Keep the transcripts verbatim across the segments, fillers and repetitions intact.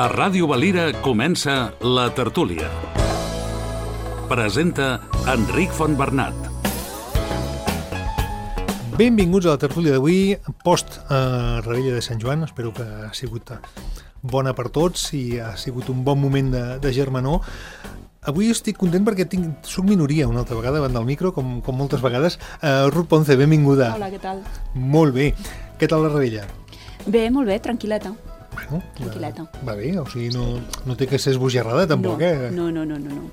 A Ràdio Valira comença La Tertúlia. Presenta Enric Fontbernat. Benvinguts a La Tertúlia d'avui, post eh, Revetlla de Sant Joan. Espero que ha sigut bona per tots i ha sigut un bon moment de, de germanor. Avui estic content perquè tinc, soc minoria una altra vegada davant del micro, com, com moltes vegades. Uh, Ruth Ponce, benvinguda. Hola, què tal? Molt bé. Què tal la Revetlla? Bé, molt bé, tranquil·leta. Bueno, tranquil·leta. Va, va bé, o sigui, no, no té que ser esbojarrada tampoc, no, eh? No, no, no, no, no.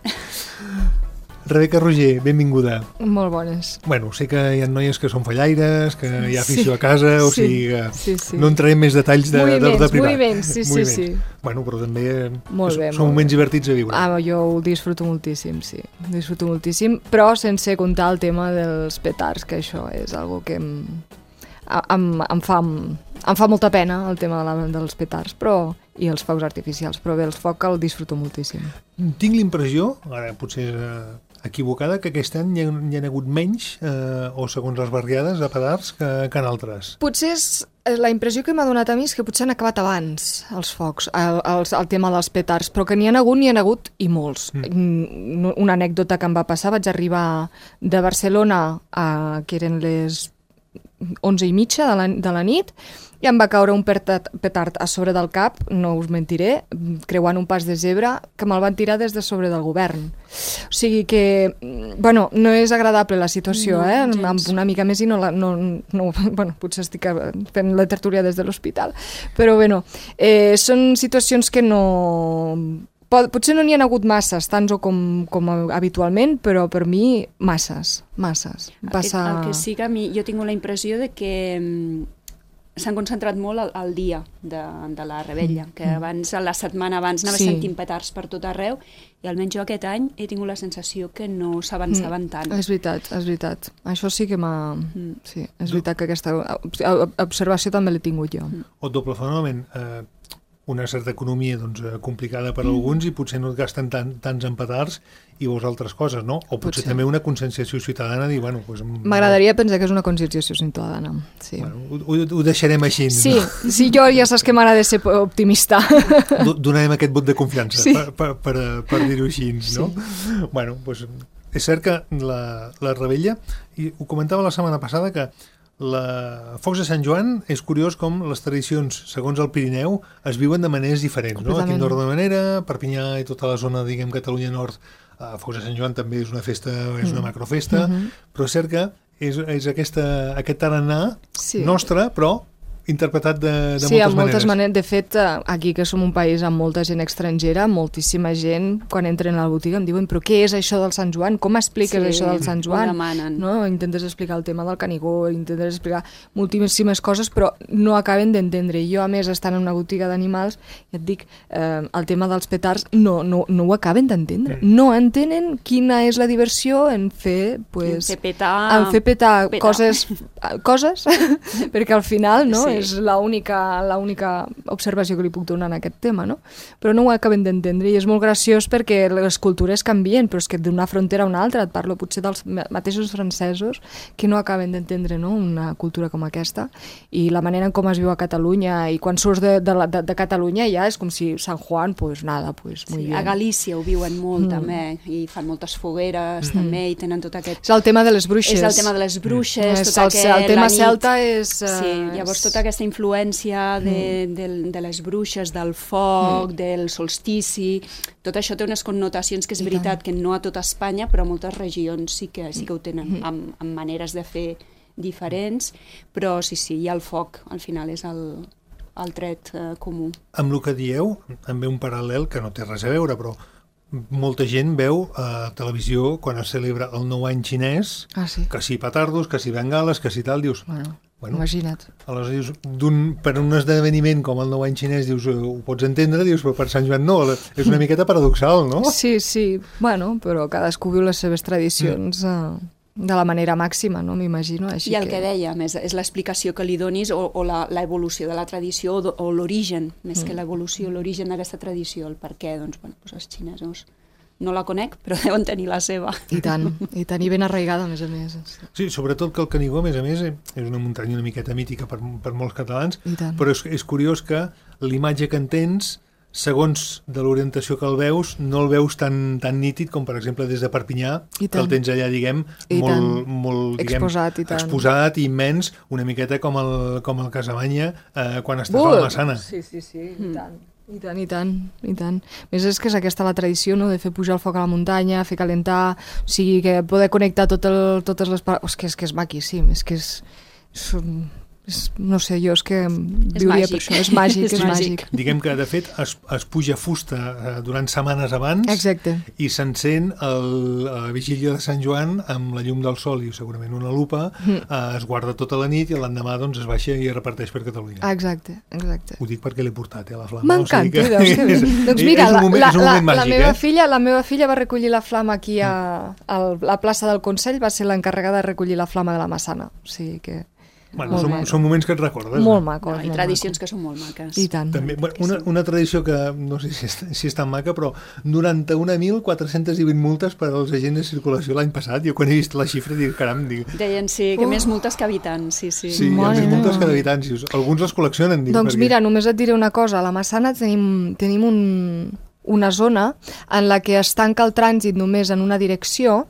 Rebeca Roger, benvinguda. Molt bones. Bueno, sé que hi ha noies que són fallaires, que hi ha afició sí. a casa, o sí. sigui que sí, sí. no entrarem més detalls de, moviments, de, de privat. Moviments, sí, moviments. sí, sí. Bueno, però també molt bé, són moments divertits a viure. Ah, jo ho disfruto moltíssim, sí. Disfruto moltíssim, però sense comptar el tema dels petards, que això és algo que em, em, em, fa, em fa molta pena, el tema de la, dels petards, però i els focs artificials, però bé, el foc el disfruto moltíssim. Tinc l'impressió, ara potser eh, equivocada, que aquest any hi ha, hi ha hagut menys, eh, o segons les barriades, de petards que, que en altres. Potser és, la impressió que m'ha donat a mi és que potser han acabat abans els focs, el, el, el tema dels petards, però que n'hi ha hagut, n'hi ha hagut i molts. Mm. Una anècdota que em va passar, vaig arribar de Barcelona, a, que eren les onze i mitja de la, de la nit, i em va caure un petard, petard a sobre del cap, no us mentiré, creuant un pas de zebra, que me'l van tirar des de sobre del govern. O sigui que, bueno, no és agradable la situació, no, eh? Gens. Una mica més i no, la, no, no... Bueno, potser estic fent la tertúlia des de l'hospital, però bueno, eh, són situacions que no... Pot, potser no n'hi ha hagut masses, tants o com, com habitualment, però per mi masses, masses. Passa... El, el que sí que a mi, jo tinc la impressió de que s'han concentrat molt al, al dia de, de la Revetlla, que abans, la setmana abans, anava sí. sentint petards per tot arreu, i almenys jo aquest any he tingut la sensació que no s'avançaven mm. tant. És veritat, és veritat. Això sí que m'ha... Mm. Sí, és veritat que aquesta observació també l'he tingut jo. Mm. O doble fenomen, eh, una certa economia doncs, complicada per a alguns i potser no et gasten tant, tants en petards i veus altres coses, no? O potser, potser. també una conscienciació ciutadana dir, bueno... Pues, m'agradaria pensar que és una conscienciació ciutadana, sí. Bueno, ho, ho deixarem així. Sí, no? sí, jo ja saps que m'agrada ser optimista. Donarem aquest vot de confiança, sí. per, per, per, per dir-ho així, no? Sí. Bueno, doncs és cert que la, la Revetlla, i ho comentava la setmana passada, que la Focs de Sant Joan és curiós com les tradicions, segons el Pirineu, es viuen de maneres diferents, no? Aquí a Andorra d'una manera, Perpinyà i tota la zona, diguem, Catalunya Nord, a Focs de Sant Joan també és una festa, és una macrofesta, mm-hmm. però és cert que és, és aquesta, aquest tarannà sí. nostre, però interpretat de, de sí, moltes, moltes maneres. maneres. De fet, aquí que som un país amb molta gent estrangera, moltíssima gent, quan entren a la botiga em diuen però què és això del Sant Joan? Com expliques sí, això del Sant Joan? No? Intentes explicar el tema del Canigó, intentes explicar moltíssimes coses, però no acaben d'entendre. Jo, a més, estant en una botiga d'animals, ja et dic, eh, el tema dels petards no, no, no ho acaben d'entendre. Mm. No entenen quina és la diversió en fer, pues, en fer petar, en fer petar, petar. coses, coses perquè al final, no? Sí. És l'única l'única observació que li puc donar en aquest tema, no? Però no ho acaben d'entendre i és molt graciós perquè les cultures canvien, però és que d'una frontera a una altra, et parlo potser dels mateixos francesos que no acaben d'entendre, no?, una cultura com aquesta i la manera en com es viu a Catalunya i quan surts de, de, de, de Catalunya ja és com si Sant Juan, pues nada, pues muy sí, bien. A Galícia ho viuen molt mm. també i fan moltes fogueres mm. també i tenen tot aquest... És el tema de les bruixes. És el tema de les bruixes, mm. tot el, aquest... El tema celta és... Uh, sí, llavors tota aquesta influència de, mm. de, de les bruixes, del foc, mm. del solstici, tot això té unes connotacions que és veritat que no a tota Espanya, però a moltes regions sí que, sí que ho tenen, mm. amb, amb maneres de fer diferents, però sí, sí, hi ha el foc, al final és el, el tret eh, comú. Amb el que dieu, també un paral·lel que no té res a veure, però molta gent veu a televisió quan es celebra el nou any xinès, ah, sí. que si petardos, que si bengales, que si tal, dius... Bueno. Bueno, imagina't. Aleshores, dius, per un esdeveniment com el nou any xinès, dius, ho pots entendre, dius, però per Sant Joan no, és una miqueta paradoxal, no? Sí, sí, bueno, però cadascú viu les seves tradicions mm. eh, de la manera màxima, no? M'imagino. Així I el que, que dèiem, és, és l'explicació que li donis o, o l'evolució de la tradició o, o l'origen, més mm. que l'evolució, l'origen d'aquesta tradició, el per què, doncs, bueno, doncs els xinesos... No la conec, però deuen tenir la seva. I tant, i tant, i ben arraigada, a més a més. Sí, sobretot que el Canigó, a més a més, és una muntanya una miqueta mítica per, per molts catalans, però és, és curiós que l'imatge que en tens segons de l'orientació que el veus, no el veus tan, tan nítid com, per exemple, des de Perpinyà, que el tens allà, diguem, I molt, molt diguem, exposat, i tant. exposat i immens, una miqueta com el, com el Casamanya eh, quan estàs a la Massana. Sí, sí, sí, i tant. I tant, i tant, i tant. Més és que és aquesta la tradició, no?, de fer pujar el foc a la muntanya, fer calentar, o sigui, que poder connectar tot el, totes les... Oh, és que és, que és maquíssim, és que és... és, és no sé, jo és que viuria per això, és màgic, és, és màgic. Diguem que, de fet, es, es puja fusta eh, durant setmanes abans. Exacte. I s'encén el- a la vigília de Sant Joan amb la llum del sol i segurament una lupa, mm. eh, es guarda tota la nit i l'endemà doncs, es baixa i es reparteix per Catalunya. Exacte, exacte. Ho dic perquè l'he portat, eh, la flama. M'encanta, o sigui que veus que bé. és- Doncs és mira, un la, moment- la, és un la, moment la, màgic, meva eh? filla, la meva filla va recollir la flama aquí a, a la plaça del Consell, va ser l'encarregada de recollir la flama de la Massana. O sigui que... Bueno, Molt són, maco. són moments que et recordes. Molt eh? maco. No, I tradicions que són molt maques. I tant. També, bueno, una, una tradició que no sé si és, si és tan maca, però noranta-un mil quatre-cents vint multes per als agents de circulació l'any passat. Jo quan he vist la xifra dic, caram, dic... Deien, sí, que Uh. més multes que habitants, sí, sí. Sí, hi ha Mare més multes meva. que d'habitants. i Alguns les col·leccionen, dic. Doncs perquè... mira, només et diré una cosa. A la Massana tenim, tenim un, una zona en la que es tanca el trànsit només en una direcció,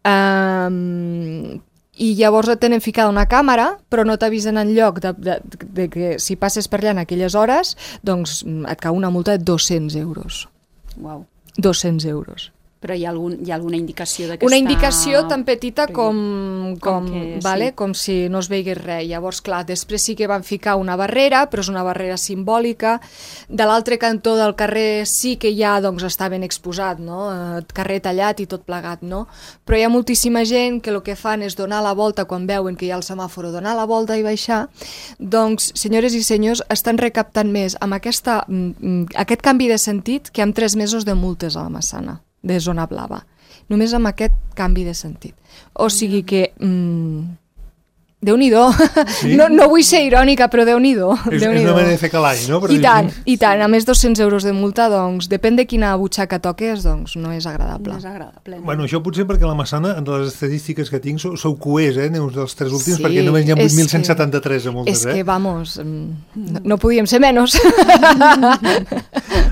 eh, i llavors et tenen ficada una càmera, però no t'avisen en lloc de, de, de que si passes per allà en aquelles hores, doncs et cau una multa de dos-cents euros. Uau. dos-cents euros. Però hi ha, algun, hi ha alguna indicació de que Una està... indicació tan petita Perquè- com, com com, que, vale? sí. com si no es veigués res. Llavors, clar, després sí que van ficar una barrera, però és una barrera simbòlica. De l'altre cantó del carrer sí que ja doncs, està ben exposat, no? Eh, carrer tallat i tot plegat, no? Però hi ha moltíssima gent que el que fan és donar la volta quan veuen que hi ha el semàforo, donar la volta i baixar. Doncs, senyores i senyors, estan recaptant més amb aquesta, mm, aquest canvi de sentit que amb tres mesos de multes a la Massana, de zona blava. Només amb aquest canvi de sentit. O sigui que... Mm, Déu-n'hi-do. Sí? No, no vull ser irònica, però Déu-n'hi-do. És, és Déu-n'hi-do. una manera de fer calall, no? Per I dir- tant, i tant. A més, dos-cents euros de multa, doncs, depèn de quina butxaca toques, doncs no és agradable. No és agradable. No? Bueno, això potser perquè la Massana, en les estadístiques que tinc, sou, sou coers, eh, uns dels tres últims, Sí, perquè només hi ha és vuit mil cent que- setanta-tres de multes, És que, eh? vamos, mm, no, no podíem ser menys.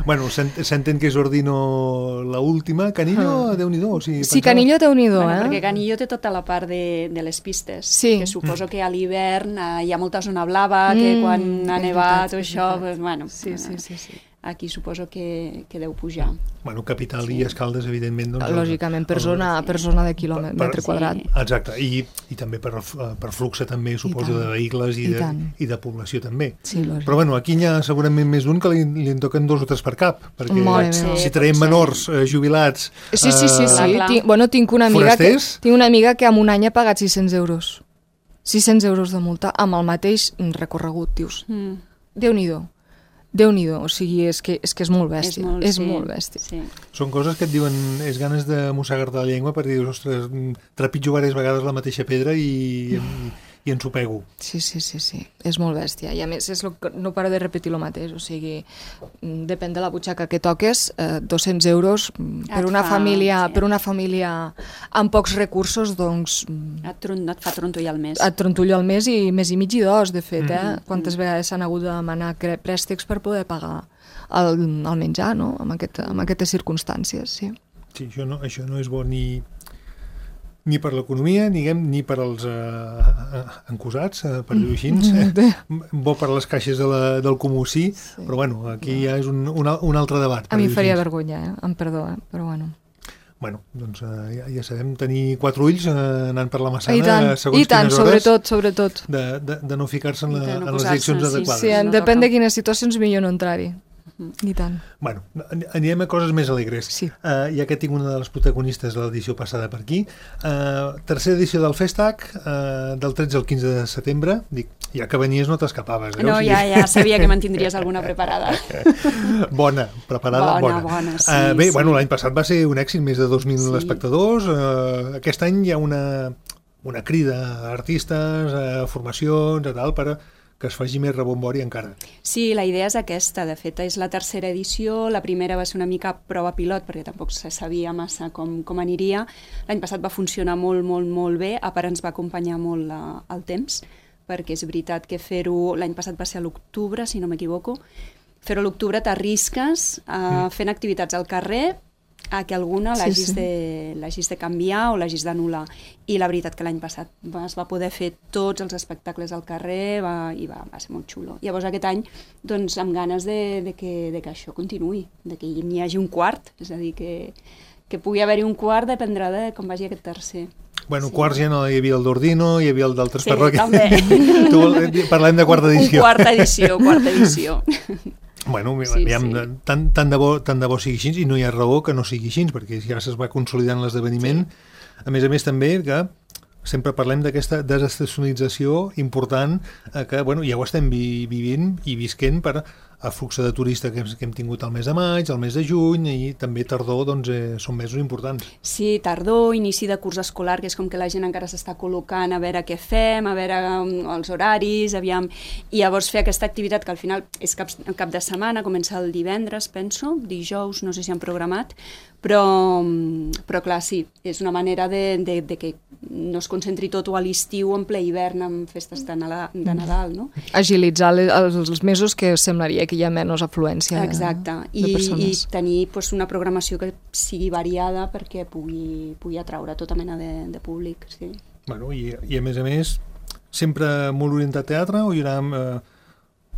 Bueno, s'ent- s'entén que és Ordino la última. Canillo, Déu-n'hi-do. O sigui, Sí, pensava- Canillo, Déu-n'hi-do, Bueno, eh? perquè Canillo té tota la part de, de les pistes, Sí. que suposo que a l'hivern eh, hi ha molta zona blava, que Mm, quan ha és nevat veritat, o és això, veritat. pues, bueno, Sí, sí, sí, sí. aquí suposo que, que deu pujar. Bueno, Capital i Escaldes, evidentment. Doncs, Lògicament, per el- zona, per zona de quilòmetre Per- metre Sí. quadrat. Exacte, i, i també per, el- per flux també, suposo, tant. de vehicles i, I de, tant. i de població també. Sí, lògic. Però bueno, aquí hi ha segurament més d'un que li, li en toquen dos o tres per cap, perquè Mare meva. si Sí, traiem pot ser. menors eh, jubilats... Sí, sí, sí, eh, sí. Clar, clar. Tinc, bueno, tinc una amiga que, Forasters? tinc una amiga que en un any ha pagat sis-cents euros. sis-cents euros de multa amb el mateix recorregut, dius. Mm. Déu-n'hi-do. Déu-n'hi-do. O sigui, és que és, que és molt bèstia. És molt, és sí, molt bèstia. Sí. Són coses que et diuen, és ganes de mossegar-te la llengua perquè dius, ostres, mm, trepitjo diverses vegades la mateixa pedra i, i, i ens ho pego. Sí, sí, sí, sí. És molt bèstia. I a més, és lo que no paro de repetir el mateix. O sigui, mm, depèn de la butxaca que toques, eh, dos-cents euros mm, per Et una, fa, família, sí. per una família amb pocs recursos, doncs mm, Et, tron, et fa trontollar el mes. et trontollo al mes i mes i mig i dos, de fet, eh? Mm-hmm. Quantes vegades s'han hagut de demanar cre- préstecs per poder pagar el, el menjar, no?, amb, aquest, amb aquestes circumstàncies, sí. Sí, això no, això no és bo ni, ni per l'economia, ni, ni per als eh, encusats, eh, per dir-ho així, eh? Bo per les caixes de la, del comú sí, sí, però bueno, aquí ja és un, un, un altre debat. A mi em dir-ho faria així. vergonya, eh? Em perdó, eh? Però bueno. Bueno, doncs eh, ja, ja sabem tenir quatre ulls eh, anant per la Massana, I tant, segons i tant, quines hores, sobretot, sobretot. de, de, de no ficar-se en, I la, de no en les posar-se, direccions sí, adequades. Sí, no depèn toca. de quines situacions millor no entrar-hi. I tant. Bueno, anirem a coses més alegres. Sí. Uh, ja que tinc una de les protagonistes de l'edició passada per aquí. Uh, tercera edició del Festac, uh, del tretze al quinze de setembre. Dic, ja que venies no t'escapaves. Eh? No, O sigui, ja, ja sabia que me'n tindries alguna preparada. Bona, preparada, Bona, bona. bona, sí, uh, bé, sí. bueno, l'any passat va ser un èxit, més de dos mil Sí. espectadors. Uh, aquest any hi ha una, una crida a artistes, a formacions, a tal, per a que es faci més rebombori encara. Sí, la idea és aquesta. De fet, és la tercera edició. La primera va ser una mica prova pilot, perquè tampoc se sabia massa com, com aniria. L'any passat va funcionar molt, molt, molt bé. A part, ens va acompanyar molt la, el temps, perquè és veritat que fer-ho... L'any passat va ser a l'octubre, si no m'equivoco, fer-ho a l'octubre t'arrisques a mm. fent activitats al carrer a que alguna l'hagis sí, sí. de, l'hagis de canviar o l'hagis d'anul·lar. I la veritat que l'any passat es va poder fer tots els espectacles al carrer va, i va, va ser molt xulo. Llavors aquest any, doncs, amb ganes de, de, que, de que això continuï, de que n'hi hagi un quart, és a dir, que, que pugui haver-hi un quart, dependrà de com vagi aquest tercer. Bueno, sí. quarts ja no hi havia el d'Ordino, hi havia el d'altres sí, parròquies. També. Tu, parlem de quarta edició. Un quarta edició, quarta edició. Bueno, sí, aviam, sí. Tant, tant, de bo, tant de bo sigui així, i no hi ha raó que no sigui així, perquè ja es va consolidant l'esdeveniment. Sí. A més a més també que sempre parlem d'aquesta desestacionalització important eh, que bueno, ja ho estem vi vivint i visquent per a flux de turista que hem, que hem tingut el mes de maig, el mes de juny i també tardor, doncs eh, són mesos importants. Sí, tardor, inici de curs escolar, que és com que la gent encara s'està col·locant a veure què fem, a veure um, els horaris, aviam, i llavors fer aquesta activitat que al final és cap, cap de setmana, comença el divendres, penso, dijous, no sé si han programat, però, però clar, sí, és una manera de, de, de que no es concentri tot a l'estiu en ple hivern amb festes de Nadal, de Nadal, no? Agilitzar els, els mesos que semblaria que hi ha menys afluència. Exacte, de, de persones. I, i tenir pues, una programació que sigui variada perquè pugui, pugui atraure tota mena de, de públic, sí. Bueno, i, i a més a més, sempre molt orientat a teatre o hi haurà eh,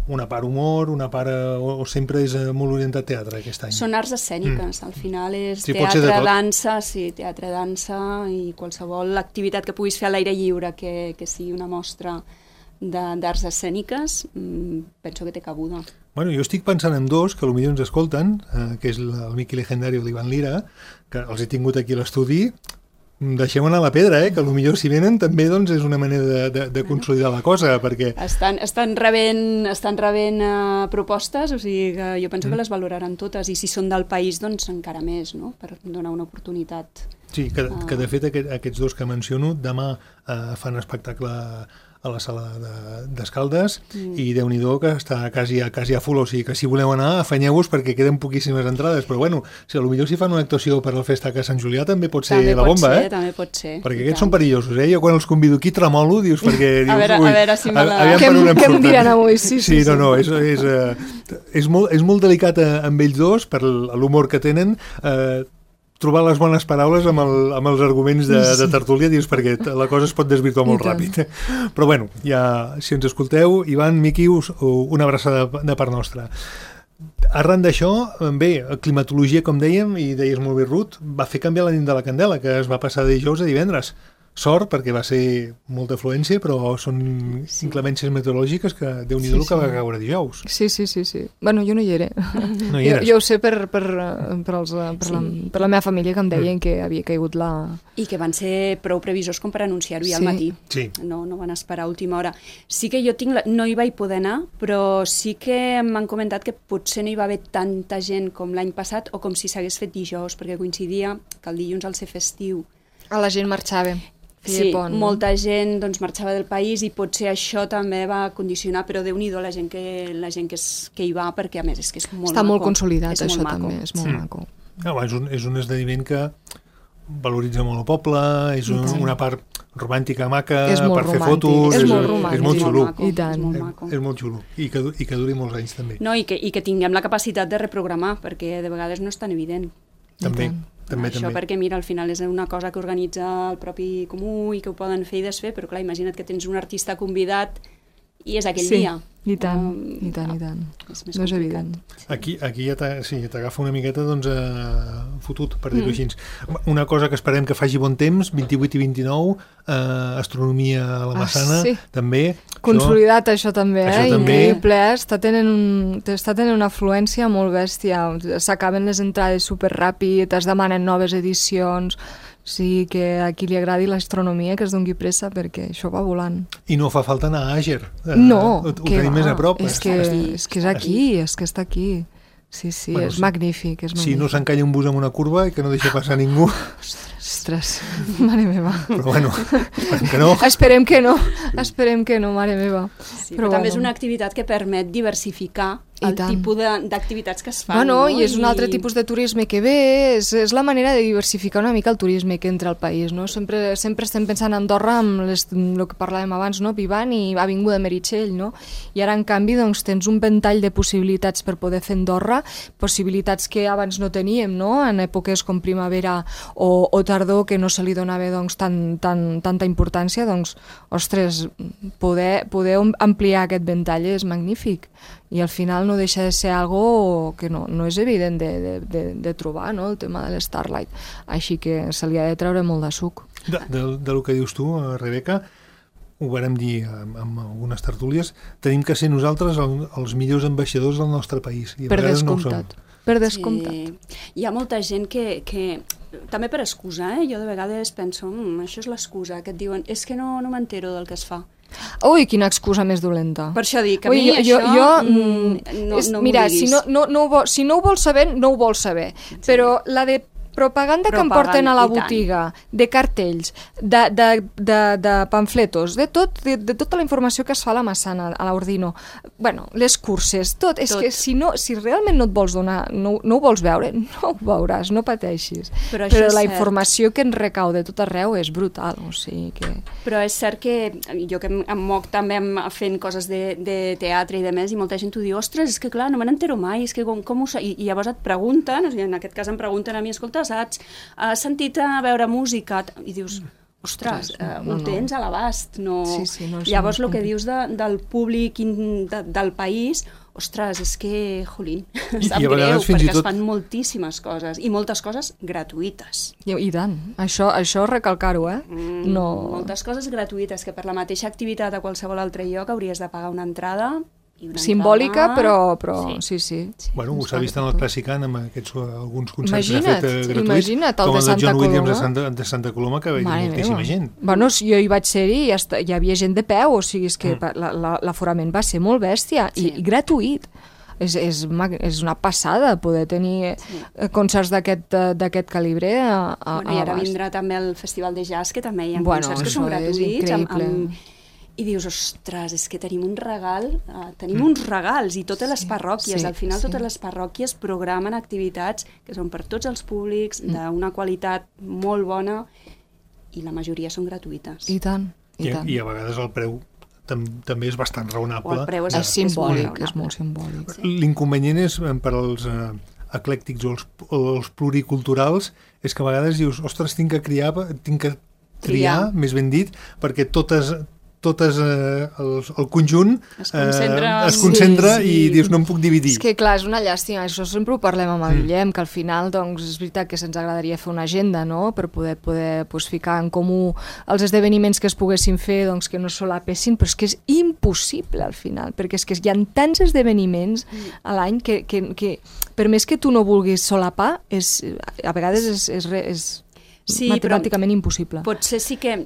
una part humor, una part, o, o sempre és molt orientat a teatre aquest any? Són arts escèniques, mm. al final és sí, teatre, dansa, sí, teatre, dansa i qualsevol activitat que puguis fer a l'aire lliure que, que sigui una mostra d'arts escèniques, penso que té cabuda. Bueno, jo estic pensant en dos que potser ens escolten, eh, que és el Miqui Legendario i l'Ivan Lira, que els he tingut aquí a l'estudi. Deixem anar la pedra, eh? Que potser si venen també doncs, és una manera de, de, de consolidar la cosa, perquè... Estan, estan rebent, estan rebent uh, propostes, o sigui que jo penso mm. que les valoraran totes, i si són del país, doncs encara més, no?, per donar una oportunitat. Sí, que, uh... que de fet aquest, aquests dos que menciono demà uh, fan espectacle a la sala d'Escaldes de, mm. i Déu-n'hi-do que està quasi a, quasi a full, o sigui que si voleu anar afanyeu-vos perquè queden poquíssimes entrades, però bueno, si potser si fan una actuació per al Festac a Sant Julià també pot ser també la bomba, ser, eh? També pot ser. Perquè aquests són perillosos, eh? Jo quan els convido aquí tremolo, dius, perquè dius, a veure, ui, a veure si me la... A, què, em, què em diran avui? Sí, sí, sí, sí. No, no, és, és, és, és, molt, és molt delicat amb ells dos, per l'humor que tenen, eh, trobar les bones paraules amb, el, amb els arguments de, de tertúlia, dius, perquè la cosa es pot desvirtuar molt ràpid. Però bueno, ja, si ens escolteu, Ivan, Miqui, us, una abraçada de, de part nostra. Arran d'això, bé, climatologia, com dèiem, i deies molt bé, Ruth, va fer canviar la nit de la candela, que es va passar de dijous a divendres. Sort, perquè va ser molta afluència, però són sí. inclemències meteorològiques que Déu-n'hi-do sí, sí. que va caure dijous. Sí, sí, sí, sí. Bueno, jo no hi era. No hi eres? Jo, jo ho sé per, per, per, els, per, sí. la, per la meva família, que em deien mm. que havia caigut la... I que van ser prou previsors com per anunciar-ho ja sí. al matí. Sí. No, no van esperar a última hora. Sí que jo tinc... La... No hi vaig poder anar, però sí que m'han comentat que potser no hi va haver tanta gent com l'any passat o com si s'hagués fet dijous, perquè coincidia que el dilluns al ser festiu... A la gent marxava. Sí, pont, no? molta gent doncs, marxava del país i potser això també va condicionar, però Déu-n'hi-do la gent, que, la gent que, és, que hi va, perquè a més és que és molt Està maco. molt consolidat, és això molt també, maco. és molt sí. maco. No, és, un, és un esdeveniment que valoritza molt el poble, és un, una part romàntica, maca, és molt per romàntic. fer fotos, és, és molt romàntic. És molt xulo. I tant. És molt és, maco. és molt xulo. I que, i que duri molts anys també. No, i que, i que tinguem la capacitat de reprogramar, perquè de vegades no és tan evident. També. També, Això també. perquè, mira, al final és una cosa que organitza el propi comú i que ho poden fer i desfer, però clar, imagina't que tens un artista convidat i és aquell sí, dia. i tant, um, i tant, no, i tant. És més no és complicat. evident. Aquí, aquí ja t'agafa sí, una miqueta doncs, eh, fotut, per dir-ho Mm. així. Una cosa que esperem que faci bon temps, vint-i-vuit i vint-i-nou, eh, astronomia a la Massana, ah, sí. també. Consolidat això, això també, això eh? també. Increïble, eh? Està tenint, un, està tenint una afluència molt bèstia. S'acaben les entrades superràpid, es demanen noves edicions... Sí, que a qui li agradi l'astronomia que es doni pressa perquè això va volant. I no fa falta anar a Àger. Eh, no, ho, ho tenim va. més a prop. És que, és que és aquí, és que està aquí. Sí, sí, bueno, és sí. magnífic, és magnífic. Si no s'encalla un bus amb una curva i que no deixa passar ningú. Ostres, mare meva. Però bueno, esperem que no. Esperem que no, esperem que no, mare meva. Sí, però però també bueno. és una activitat que permet diversificar el tipus d'activitats que es fan. Bueno, no? i és un altre tipus de turisme que ve, és, és la manera de diversificar una mica el turisme que entra al país, no? Sempre, sempre estem pensant en Andorra amb les, el que parlàvem abans, no? Vivant i Avinguda Meritxell, no? I ara, en canvi, doncs, tens un ventall de possibilitats per poder fer Andorra, possibilitats que abans no teníem, no? En èpoques com primavera o, o tardor, que no se li donava doncs, tan, tan, tanta importància, doncs, ostres, poder, poder ampliar aquest ventall és magnífic. I al final no deixa de ser algo que no, no és evident de, de, de, de trobar, no? El tema de l'Starlight. Així que se li ha de treure molt de suc. De, de, de lo que dius tu, Rebeca, ho vàrem dir amb, amb algunes tertúlies, tenim que ser nosaltres el, els millors ambaixadors del nostre país. I a per vegades descomptat. No per descomptat. Sí. Hi ha molta gent que, que també per excusa, eh? Jo de vegades penso, mmm, això és l'excusa, que et diuen, és que no, no m'entero del que es fa. Ui, quina excusa més dolenta. Per això dic, a Ui, mi jo, això jo, mm, no, és, no mira, m'ho diguis. si no, no, no, ho vol, si no ho vols saber, no ho vols saber. Sí. Però la de propaganda, propaganda que em porten a la botiga, de cartells, de, de, de, de pamfletos, de, tot, de, de tota la informació que es fa a la Massana, a l'Ordino, bueno, les curses, tot. És tot. Que si, no, si realment no et vols donar, no, no ho vols veure, no ho veuràs, no pateixis. Però, Però la informació que ens recau de tot arreu és brutal, o sigui que... Però és cert que jo que em moc també fent coses de, de teatre i de més, i molta gent t'ho diu, ostres, és que clar, no me n'entero mai, és que com, com ho sé? I, i llavors et pregunten, o sigui, en aquest cas em pregunten a mi, escolta, saps? Has sentit a veure música? I dius, ostres, eh, ho no, tens a l'abast. No... Sí, sí, no, llavors, el que dius de, del públic in, de, del país, ostres, és que, jolín, sap greu, perquè tot... es fan moltíssimes coses, i moltes coses gratuïtes. I, i tant, això, això recalcar-ho, eh? Mm, no... Moltes coses gratuïtes, que per la mateixa activitat a qualsevol altre lloc hauries de pagar una entrada... simbòlica, però, però sí, sí. sí. Bueno, ho s'ha vist en el Clàssicant amb aquests alguns concerts imagina't, que ha fet gratuïts, imagina't, el com el de John Coloma. Williams de Santa, de Santa Coloma, que veia moltíssima gent. Bueno, jo hi vaig ser-hi i ja hi havia gent de peu, o sigui, és que mm. l'aforament va ser molt bèstia i, sí. i gratuït. És, és, és una passada poder tenir sí. concerts d'aquest calibre a, a, bueno, i ara vindrà també el Festival de Jazz, que també hi ha bueno, concerts que són gratuïts amb, amb i dius, ostres, és que tenim un regal, uh, tenim mm. uns regals, i totes sí, les parròquies, sí, al final sí. totes les parròquies programen activitats que són per tots els públics, mm. d'una qualitat molt bona, i la majoria són gratuïtes. I tant, i, I, tant. I a vegades el preu tam també és bastant raonable. El preu és, és simbòlic, és, és molt simbòlic. Sí. L'inconvenient és per als uh, eclèctics o els, o els pluriculturals, és que a vegades dius, ostres, tinc que criar, tinc que triar, triar. més ben dit, perquè totes... totes eh, el, el conjunt es concentra, eh, es concentra sí, sí. i dius, no em puc dividir. És que clar, és una llàstima, això sempre ho parlem amb el mm. Guillem, que al final doncs, és veritat que se'ns agradaria fer una agenda, no?, per poder, poder pues, ficar en comú els esdeveniments que es poguessin fer, doncs, que no solapessin, però és que és impossible al final, perquè és que hi ha tants esdeveniments mm. a l'any que, que, que per més que tu no vulguis solapar, és, a vegades és, és, és sí, matemàticament impossible. Potser sí que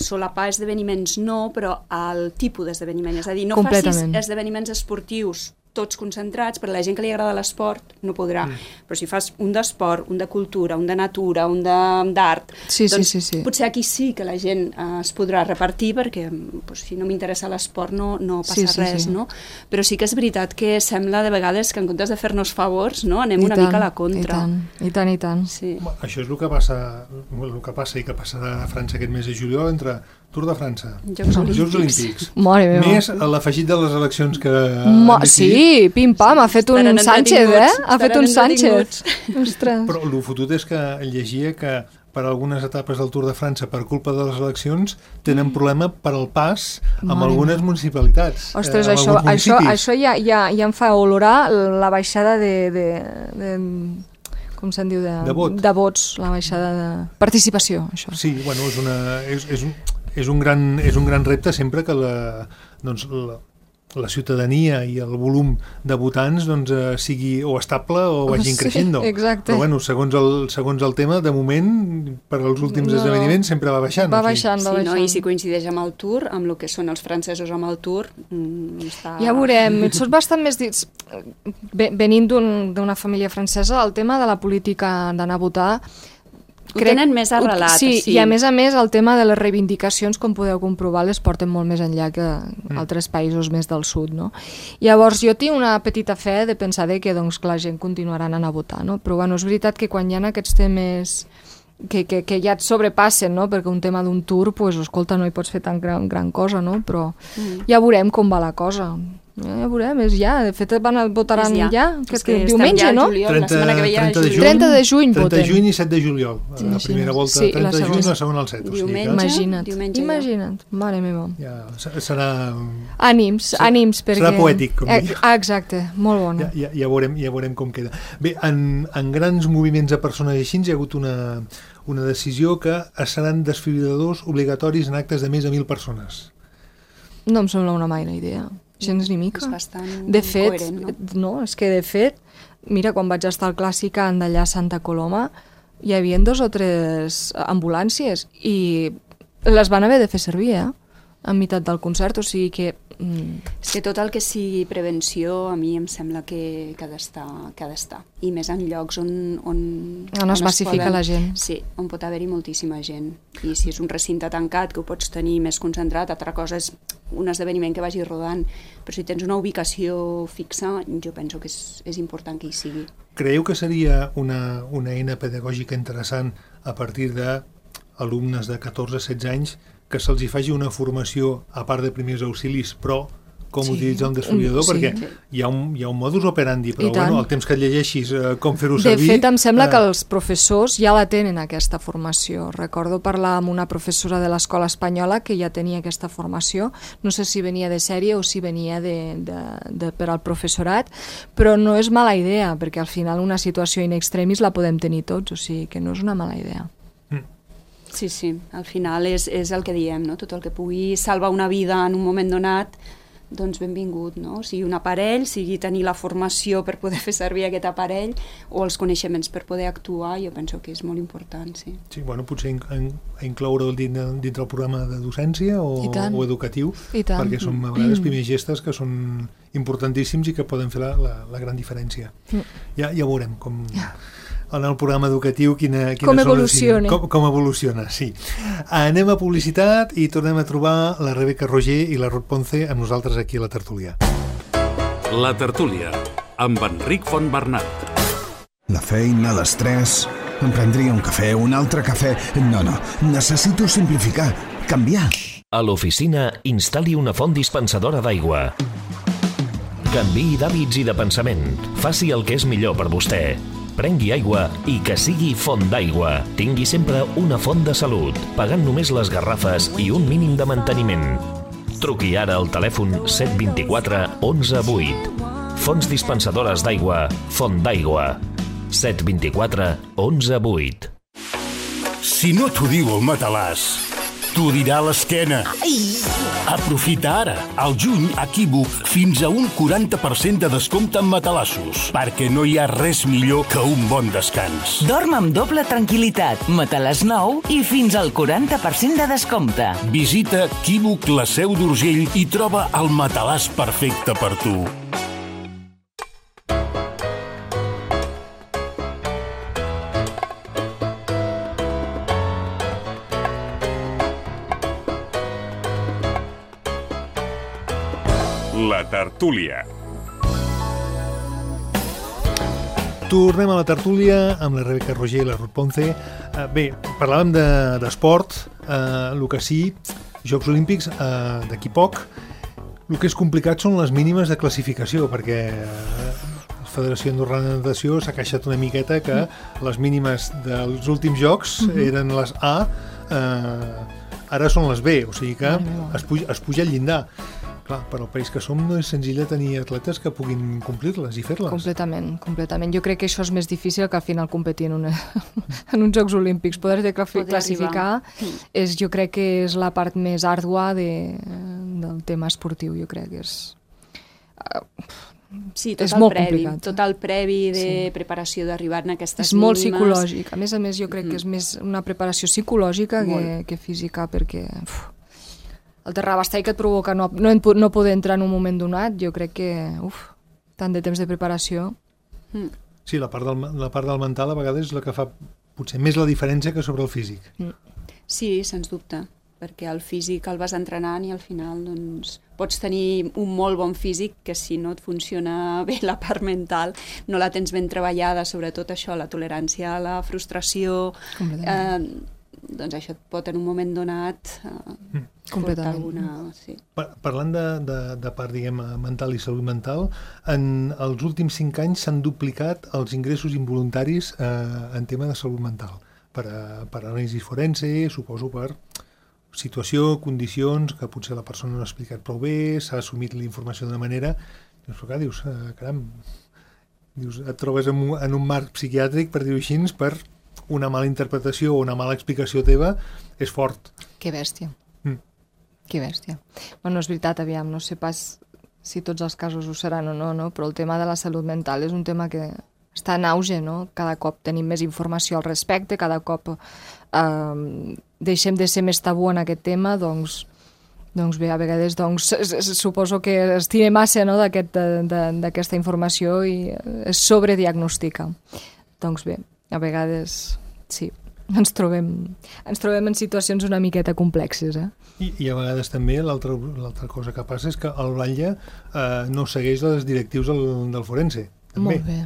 solapar esdeveniments no, però el tipus d'esdeveniment, és a dir, no facis esdeveniments esportius tots concentrats, per a la gent que li agrada l'esport no podrà, mm. però si fas un d'esport, un de cultura, un de natura, un d'art, sí, doncs sí, sí, sí. potser aquí sí que la gent eh, es podrà repartir, perquè pues, si no m'interessa l'esport no, no passa sí, sí, res, sí. no? Però sí que és veritat que sembla de vegades que en comptes de fer-nos favors, no, anem I una tant, mica a la contra. I tant, i tant, i tant. Sí. Això és el que passa, el que passa i que passarà a França aquest mes de juliol entre Tour de França, Jocs Olímpics, Jocs Olímpics. més l'afegit de les eleccions que... Mo sí, pim-pam, ha fet un Sánchez, eh? Ha fet un Sánchez. Però el fotut és que llegia que per algunes etapes del Tour de França, per culpa de les eleccions, tenen problema per al pas amb Mare algunes municipalitats. Ostres, eh, això, això, això ja, ja, ja em fa olorar la baixada de... de, de com se'n diu? De, de, vot. de vots, la baixada de participació, això. Sí, bueno, és una... És, és un, és un gran, és un gran repte sempre que la, doncs, la, la ciutadania i el volum de votants doncs, eh, sigui o estable o vagin sí, creixent. Exacte. Però bueno, segons el, segons el tema, de moment, per als últims no, esdeveniments sempre va baixant. Va baixant, va sí, baixant. No? I si coincideix amb el Tour, amb el que són els francesos amb el Tour, mm, està... Ja veurem, són bastant més dits. Venint d'una família francesa, el tema de la política d'anar a votar Ho tenen més arrelat. Sí, sí, i a més a més el tema de les reivindicacions, com podeu comprovar, les porten molt més enllà que mm. altres països més del sud, no? Llavors jo tinc una petita fe de pensar de que, doncs, que la gent continuarà anant a votar, no? Però bueno, és veritat que quan hi ha aquests temes que, que, que ja et sobrepassen, no? Perquè un tema d'un tour, pues, escolta, no hi pots fer tan gran, gran cosa, no? Però mm. ja veurem com va la cosa. Ja veurem, és ja. De fet, van a votaran ja, ja que, que diumenge, no? trenta, la setmana que ve ja trenta de juny, trenta de juny trenta voten. de juny i set de juliol. Sí, la primera volta sí, trenta de juny i la segona el set. Diumenge, imagina't, diumenge imagina't, mare meva. Ja, serà... Ànims, serà, ànims, perquè... Serà poètic, com dic. Ah, exacte, molt bona. Ja, ja, ja, veurem, ja veurem com queda. Bé, en, en grans moviments de persones així hi ha hagut una, una decisió que seran desfibriladors obligatoris en actes de més de mil persones. No em sembla una maina idea. Gens ni mica. És bastant de fet, coherent, no? no? És que de fet, mira, quan vaig estar al Clàssic d'allà a Santa Coloma, hi havia dos o tres ambulàncies i les van haver de fer servir, eh? En meitat del concert, o sigui que... Mm. És que tot el que sigui prevenció a mi em sembla que, que ha d'estar, que ha d'estar. I més en llocs on... On, on es massifica la gent. Sí, on pot haver-hi moltíssima gent. I si és un recinte tancat, que ho pots tenir més concentrat, altra cosa és un esdeveniment que vagi rodant. Però si tens una ubicació fixa, jo penso que és, és important que hi sigui. Creieu que seria una, una eina pedagògica interessant a partir d'alumnes de catorze a setze anys que se'ls hi faci una formació a part de primers auxilis, però com sí. utilitzar un desfibrilador, sí. perquè hi ha, un, hi ha un modus operandi, però bueno, el temps que et llegeixis eh, com fer-ho servir... De fet, em sembla eh... que els professors ja la tenen, aquesta formació. Recordo parlar amb una professora de l'escola espanyola que ja tenia aquesta formació. No sé si venia de sèrie o si venia de, de, de, per al professorat, però no és mala idea, perquè al final una situació in extremis la podem tenir tots, o sigui que no és una mala idea. Sí, sí, al final és, és el que diem, no? Tot el que pugui salvar una vida en un moment donat, doncs benvingut, no? Sigui un aparell, sigui tenir la formació per poder fer servir aquest aparell o els coneixements per poder actuar, jo penso que és molt important, sí. Sí, bueno, potser in, in, incloure-ho dintre, dintre el programa de docència o, o educatiu, perquè són a vegades primers gestes que són importantíssims i que poden fer la, la, la gran diferència. Ja, ja veurem com... en el programa educatiu quina, quina com evoluciona. Com, com evoluciona, sí. Anem a publicitat i tornem a trobar la Rebeca Roger i la Ruth Ponce amb nosaltres aquí a la tertúlia. La tertúlia, amb Enric Fontbernat. La feina, l'estrès... Em prendria un cafè, un altre cafè... No, no, necessito simplificar, canviar. A l'oficina, instal·li una font dispensadora d'aigua. Canviï d'hàbits i de pensament. Faci el que és millor per vostè. Prengui aigua i que sigui font d'aigua. Tingui sempre una font de salut, pagant només les garrafes i un mínim de manteniment. Truqui ara al telèfon set dos quatre onze vuit. Fonts dispensadores d'aigua, Font d'aigua. set dos quatre onze vuit. Si no t'ho diu el matalàs, t'ho dirà l'esquena. Aprofita ara, al juny, a Equívoc, fins a un quaranta per cent de descompte en matalassos, perquè no hi ha res millor que un bon descans. Dorm amb doble tranquil·litat, matalàs nou i fins al quaranta per cent de descompte. Visita Equívoc, la Seu d'Urgell i troba el matalàs perfecte per tu. La tertúlia. Tornem a la tertúlia amb la Rebeca Roger i la Ruth Ponce. Uh, bé, parlàvem d'esport, de, uh, el que sí, Jocs Olímpics, uh, d'aquí poc. El que és complicat són les mínimes de classificació, perquè uh, la Federació Andorrana de Natació s'ha queixat una miqueta que les mínimes dels últims Jocs eren les A, uh, ara són les B, o sigui que es puja, es puja al llindar. Clar, per al país que som no és senzill tenir atletes que puguin complir-les i fer-les. Completament, completament. Jo crec que això és més difícil que al final competir en, una, en uns Jocs Olímpics. Poder de classificar és, jo crec que és la part més àrdua de, del tema esportiu, jo crec que és... Sí, tot, és el molt previ, complicat. tot el previ de sí. preparació d'arribar a aquestes mínimes. És molt psicològic. A més a més, jo crec mm. que és més una preparació psicològica que, que física, perquè... Uf, el terrabastall que et provoca no, no, no poder entrar en un moment donat, jo crec que, uf, tant de temps de preparació. Sí, la part del, la part del mental a vegades és la que fa potser més la diferència que sobre el físic. Sí, sens dubte, perquè el físic el vas entrenant i al final doncs, pots tenir un molt bon físic que si no et funciona bé la part mental, no la tens ben treballada, sobretot això, la tolerància a la frustració, eh, doncs això et pot en un moment donat eh, portar alguna... Sí. Parlant de, de, de part, diguem, mental i salut mental, en els últims cinc anys s'han duplicat els ingressos involuntaris eh, en tema de salut mental. Per, a, per anàlisi forense, suposo per situació, condicions que potser la persona no ha explicat prou bé, s'ha assumit la informació d'una manera, dius, però clar, dius, eh, caram, dius, et trobes en un, en un marc psiquiàtric, per dir-ho així, per una mala interpretació o una mala explicació teva, és fort. Que bèstia. Mm. Que bèstia. Bueno, és veritat, aviam, no sé pas si tots els casos ho seran o no, no, però el tema de la salut mental és un tema que està en auge, no? Cada cop tenim més informació al respecte, cada cop eh, deixem de ser més tabú en aquest tema, doncs, doncs bé, a vegades doncs, suposo que es tira massa, no, d'aquesta informació i es sobrediagnostica. Doncs bé, a vegades sí, ens trobem, ens trobem en situacions una miqueta complexes. Eh? I, I a vegades també l'altra cosa que passa és que el batlle eh, no segueix les directius del, del forense. També. Molt bé.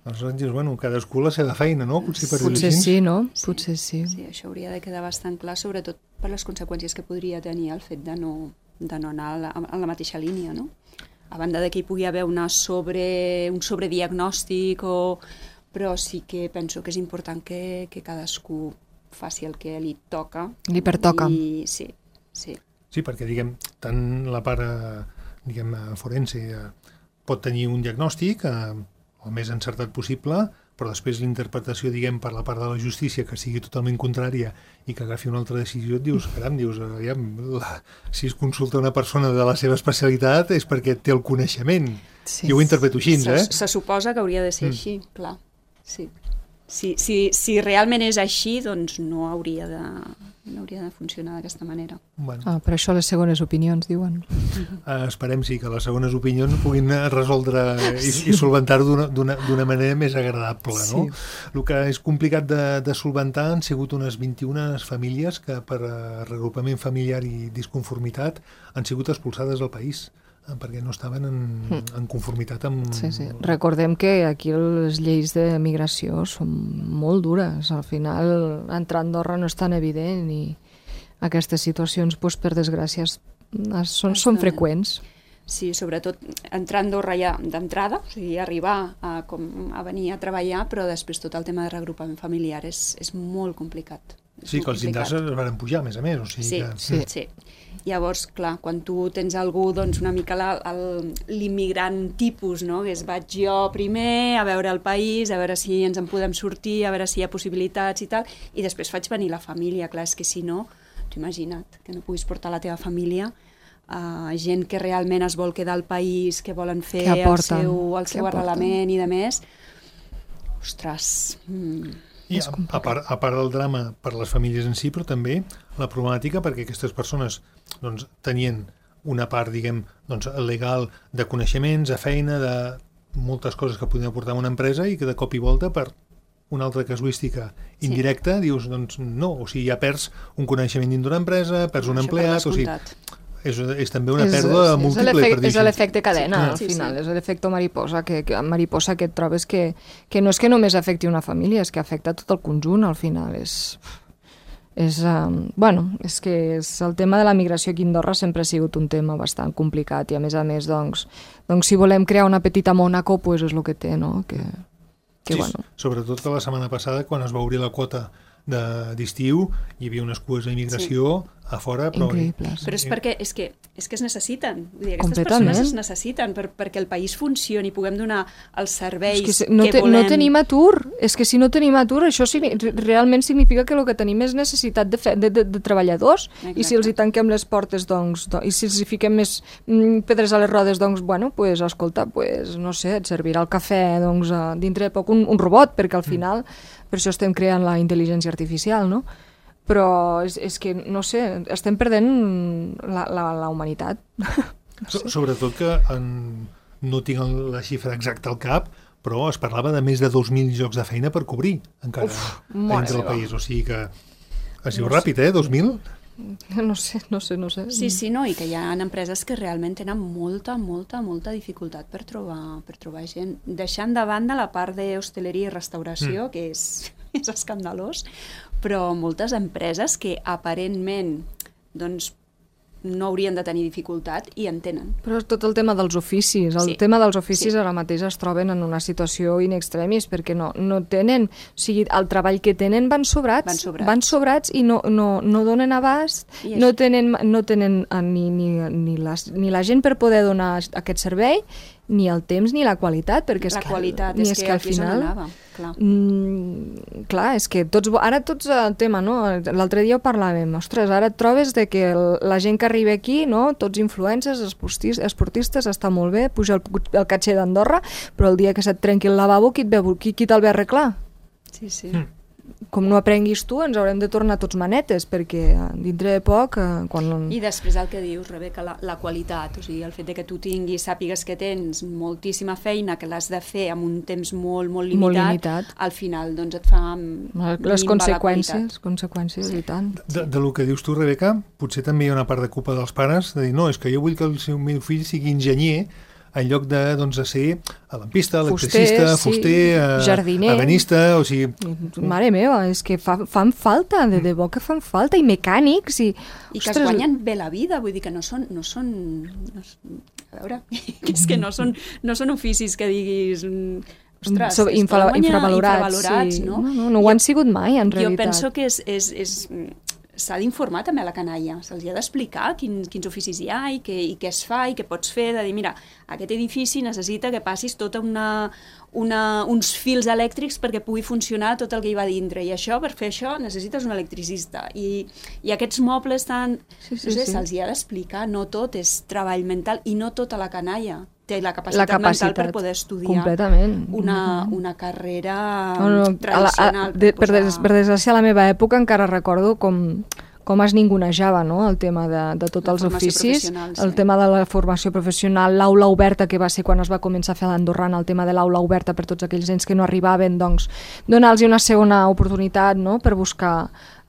Aleshores dius, bueno, cadascú la seva feina, no? Potser, per Potser sí, no? Sí, Potser sí. Sí, això hauria de quedar bastant clar, sobretot per les conseqüències que podria tenir el fet de no, de no anar a la, a la mateixa línia, no? A banda de que hi pugui haver una sobre, un sobrediagnòstic, o... però sí que penso que és important que, que cadascú faci el que li toca. Li pertoca. I, sí, sí. Sí, perquè, diguem, tant la part, diguem, forense eh, pot tenir un diagnòstic, eh, el més encertat possible, però després l'interpretació, diguem, per la part de la justícia que sigui totalment contrària i que agafi una altra decisió, et dius, caram, dius, aviam, la, si es consulta una persona de la seva especialitat és perquè té el coneixement. Sí. Jo ho interpreto així, se, eh? Se suposa que hauria de ser mm. així, clar. Sí. Si, si, si realment és així, doncs no hauria de, no hauria de funcionar d'aquesta manera. Bueno. Ah, per això les segones opinions, diuen. Uh, esperem sí que les segones opinions puguin resoldre i, sí. i solventar-ho d'una manera més agradable. No? Sí. El que és complicat de, de solventar han sigut unes vint-i-una famílies que per reagrupament familiar i disconformitat han sigut expulsades del país, perquè no estaven en, en conformitat amb... Sí, sí. Recordem que aquí les lleis de migració són molt dures. Al final, entrar a Andorra no és tan evident i aquestes situacions, doncs, per desgràcia, són, són freqüents. Sí, sobretot entrar a Andorra ja d'entrada, o sigui, arribar a, com, a venir a treballar, però després tot el tema de reagrupament familiar és, és molt complicat. Sí, que els llindars es van pujar, a més a més. O sigui sí, que... sí, sí. Llavors, clar, quan tu tens algú, doncs una mica l'immigrant tipus, no? Que és vaig jo primer a veure el país, a veure si ens en podem sortir, a veure si hi ha possibilitats i tal, i després faig venir la família. Clar, és que si no, t'ho imagina't, que no puguis portar la teva família, uh, gent que realment es vol quedar al país, que volen fer el seu, el seu arrelament i de més. Ostres... Mm. I a, a, part, a part del drama per les famílies en si, però també la problemàtica perquè aquestes persones doncs, tenien una part, diguem, doncs, legal de coneixements, de feina, de moltes coses que podien aportar a una empresa i que de cop i volta per una altra casuística indirecta sí. dius, doncs no, o sigui, ja perds un coneixement dins d'una empresa, perds un empleat, o sigui... És, és també una pèrdua és, múltiple. És, és l'efecte cadena, sí, al final, sí, sí. És l'efecte mariposa, que, que mariposa que et trobes que, que no és que només afecti una família, és que afecta tot el conjunt, al final. És, és, um, bueno, és que és, el tema de la migració aquí a Andorra sempre ha sigut un tema bastant complicat i a més a més, doncs, doncs si volem crear una petita Mònaco, pues és el que té, no? Que, que, sí, bueno. Sobretot que la setmana passada, quan es va obrir la quota d'estiu, hi havia unes cues d'immigració sí. a fora, però... Increïbles. Però és perquè és que, és que es necessiten. Vull dir, aquestes persones es necessiten per, perquè el país funcioni i puguem donar els serveis és que, no que te, volem. No tenim atur. És que si no tenim atur, això sí, realment significa que el que tenim és necessitat de, fe, de, de, de treballadors. Exacte. I si els hi tanquem les portes, doncs, doncs, i si els hi fiquem més mm, pedres a les rodes, doncs, bueno, pues, escolta, pues, no sé, et servirà el cafè, doncs, dintre de poc un, un robot, perquè al final... Mm. Per això estem creant la intel·ligència artificial, no? Però és, és que, no sé, estem perdent la, la, la humanitat. No sé. Sobretot que en, no tinc la xifra exacta al cap, però es parlava de més de dos mil llocs de feina per cobrir, encara, Uf, dins del país. O sigui que es diu ràpid, eh? dos mil? No sé, no sé, no sé. Sí, sí, no, i que hi ha empreses que realment tenen molta, molta, molta dificultat per trobar, per trobar gent. Deixant de banda la part d'hostaleria i restauració, mm. que és, és escandalós, però moltes empreses que aparentment doncs, no haurien de tenir dificultat i en tenen. Però és tot el tema dels oficis. El sí. tema dels oficis sí. ara mateix es troben en una situació in extremis perquè no, no tenen... O sigui, el treball que tenen van sobrats, van sobrats, van sobrats i no, no, no donen abast, no tenen, no tenen ni, ni, ni, les, ni la gent per poder donar aquest servei, ni el temps ni la qualitat, perquè és la que, qualitat ni és, és que, que al final... anava, clar. Mm, clar, és que tots, ara tots el tema, no? L'altre dia ho parlàvem, ostres, ara et trobes de que el, la gent que arriba aquí, no? Tots influencers, esportistes, esportistes, està molt bé, puja el, el catxer d'Andorra, però el dia que se't trenqui el lavabo, qui, qui, qui te'l ve a arreglar? Sí, sí. Mm. Com no aprenguis tu, ens haurem de tornar tots manetes, perquè dintre de poc... Eh, quan... I després el que dius, Rebeca, la, la qualitat, o sigui, el fet de que tu tinguis, sàpigues que tens moltíssima feina, que l'has de fer amb un temps molt, molt limitat, molt limitat. Al final doncs et fa les conseqüències, conseqüències sí. i tant. De, de lo que dius tu, Rebeca, potser també hi ha una part de culpa dels pares, de dir, no, és que jo vull que el seu meu fill sigui enginyer, en lloc de, doncs, de ser lampista, electricista, fuster, fuster sí. jardiner, ebenista, o sigui... Mare meva, és que fa, fan falta, de debò que fan falta, i mecànics, i... I que ostres, es guanyen bé la vida, vull dir que no són... No són no, a veure, que és que no són, no són oficis que diguis... Ostres, so, infra, infravalorats, infravalorats sí. no? No, no, no ho han sigut mai, en realitat. Jo penso que és... és, és s'ha d'informar també a la canalla, se'ls ha d'explicar quin, quins oficis hi ha i què, i què es fa i què pots fer, de dir, mira, aquest edifici necessita que passis tota una, una, uns fils elèctrics perquè pugui funcionar tot el que hi va dintre, i això, per fer això, necessites un electricista, i, i aquests mobles tan... Sí, sí, no sé, sí. se'ls hi ha d'explicar, no tot és treball mental, i no tota la canalla té la capacitat, la capacitat mental per poder estudiar completament. Una, una carrera no, no, tradicional. A la, a, de, per, des, per desgràcia, a la meva època encara recordo com, com es ningunejava, no? El tema de, de tots els oficis, sí. El tema de la formació professional, l'aula oberta, que va ser quan es va començar a fer a l'Andorrana, el tema de l'aula oberta per tots aquells nens que no arribaven, doncs donar-los una segona oportunitat, no? Per buscar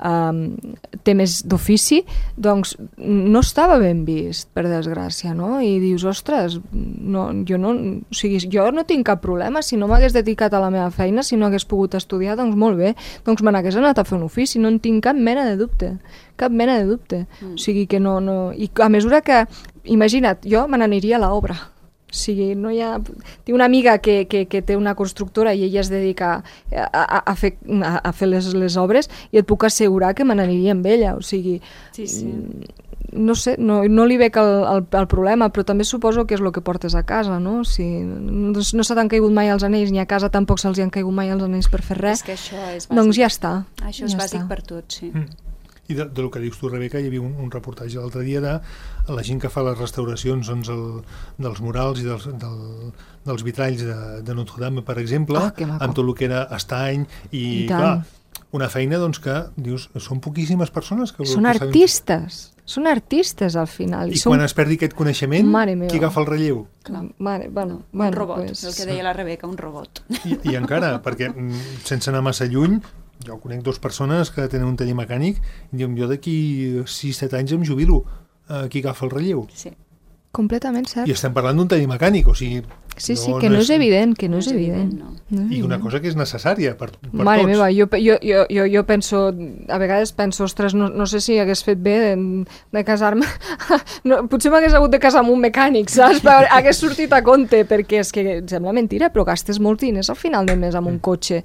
Um, temes d'ofici, doncs no estava ben vist, per desgràcia, no? I dius, ostres, no, jo, no, o sigui, jo no tinc cap problema, si no m'hagués dedicat a la meva feina, si no hagués pogut estudiar, doncs molt bé, doncs me n'hagués anat a fer un ofici, no en tinc cap mena de dubte, cap mena de dubte. Mm. O sigui que no, no... I a mesura que, imagina't, jo me n'aniria a l'obra. O sigui, no hi ha... Tinc una amiga que, que, que té una constructora i ella es dedica a, a, a fer, a, a fer les, les obres, i et puc assegurar que me n'aniria amb ella. O sigui, sí, sí. no sé, no, no li veig el, el, el problema, però també suposo que és el que portes a casa, no? O sigui, no, no se t'han caigut mai els anells, ni a casa tampoc se'ls han caigut mai els anells per fer res. És que això és bàsic. Doncs ja està. Això és ja bàsic està. per tot, sí. Mm. I de, de lo que dius tu, Rebeca, hi havia un, un reportatge l'altre dia de la gent que fa les restauracions, doncs, el, dels murals i dels, del, dels vitralls de, de Notre Dame, per exemple, oh, amb tot el que era estany, i, I clar, una feina doncs, que, dius, són poquíssimes persones que... Són que artistes, són artistes al final. I, I són... quan es perdi aquest coneixement, qui agafa el relleu? Clar. Mare, bueno, un bueno, robot, pues... el que deia la Rebeca, un robot. I, i encara, perquè sense anar massa lluny, jo conec dues persones que tenen un taller mecànic i diuen, jo d'aquí sis set anys em jubilo, uh, qui agafa el relleu? Sí. Completament cert. I estem parlant d'un taller mecànic, o sigui... Sí, sí, no, que no és, és evident, que no, no és evident. evident no. No és I una cosa que és necessària per, per Mare tots. meva, jo, jo, jo, jo, jo penso, a vegades penso, ostres, no, no sé si hagués fet bé de, de casar-me, no, potser m'hagués hagut de casar amb un mecànic, saps? Però hagués sortit a compte, perquè és que em sembla mentira, però gastes molts diners al final del mes amb un cotxe.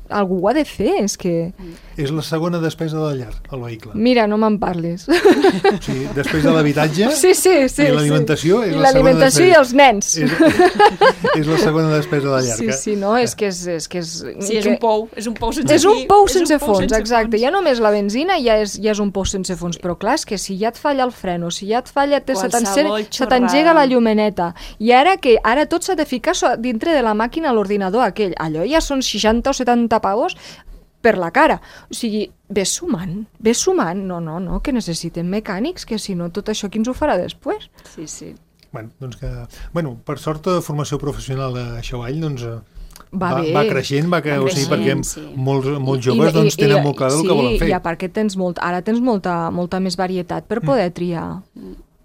Algú ho ha de fer, és que... És la segona despesa de la llar, el vehicle. Mira, no me'n parlis. Sí, després de l'habitatge sí, sí, sí, i l'alimentació sí. és I la segona despesa. I els nens. És, és la segona despesa de la llar. Sí, sí, no, és que és... és, que és sí, és que... un pou, és un pou sense És un pou sense un pou fons, sense exacte. Fons. Ja només la benzina ja és, ja és un pou sense fons, però clar, és que si ja et falla el freno, si ja et falla, te, se t'engega la llumeneta, i ara que ara tot s'ha de ficar dintre de la màquina a l'ordinador aquell, allò ja són seixanta o setanta pavos per la cara. O sigui, ves sumant, ves sumant. No, no, no, que necessitem mecànics, que si no tot això qui ens ho farà després? Sí, sí. Bueno, doncs que, bueno, per sort, formació professional a Xavall, doncs, va, va, bé. va creixent, va creixent, o sigui, perquè sí. molts, molts joves doncs, tenen molt clar el sí, que volen fer. Sí, i a part que tens molt, ara tens molta, molta més varietat per poder mm. triar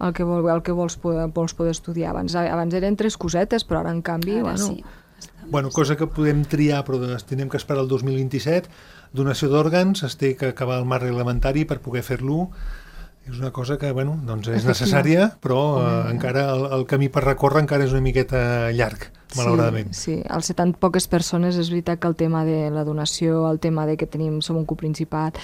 el que, vol, el que vols, poder, vols poder estudiar. Abans, abans eren tres cosetes, però ara, en canvi, ara bueno... Sí. Bueno, cosa que podem triar, però tenim que esperar el dos mil vint-i-set. Donació d'òrgans, es té que acabar el marc reglamentari per poder fer-lo. És una cosa que, bueno, doncs és necessària, però eh, encara el, el camí per recórrer encara és una miqueta llarg, malauradament. Sí, sí, al ser tan poques persones és veritat que el tema de la donació, el tema de que tenim, som un coprincipat,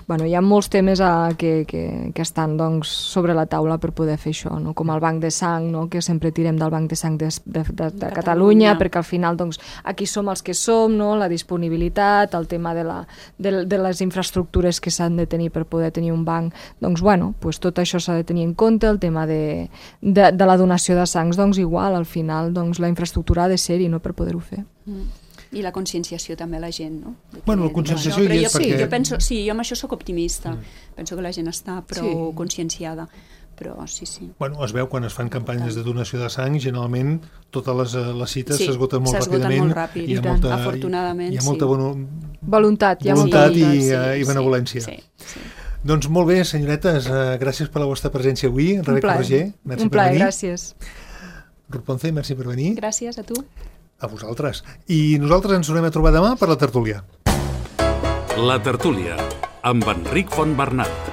bueno, hi ha molts temes a, que, que, que estan doncs, sobre la taula per poder fer això, no? Com el banc de sang, no? Que sempre tirem del banc de sang de, de, de, de, de Catalunya, perquè al final doncs, aquí som els que som, no? La disponibilitat, el tema de, la, de, de les infraestructures que s'han de tenir per poder tenir un banc, doncs bueno, pues tot això s'ha de tenir en compte, el tema de, de, de la donació de sangs, doncs igual, al final doncs, la infraestructura ha de ser-hi, no?, per poder-ho fer. Mm. I la conscienciació també a la gent, no? De que, bueno, la conscienciació no, hi és jo, perquè... Jo penso, sí, jo amb això sóc optimista. Mm. Penso que la gent està prou sí. conscienciada. Però sí, sí. Bueno, es veu quan es fan campanyes de donació de sang, generalment totes les, les cites sí, s'esgoten molt ràpidament. Molt ràpid, hi ha molta, afortunadament, hi ha molta sí. Bueno, voluntat, hi ha voluntat molta i, sí, i benevolència. Sí, sí, sí. Doncs molt bé, senyoretes, uh, gràcies per la vostra presència avui. Rebeca Roger, merci un per plaer, venir. gràcies. Ruth Ponce, merci per venir. Gràcies a tu. A vosaltres. I nosaltres ens tornem a trobar demà per la tertúlia. La tertúlia, amb Enric Fontbernat.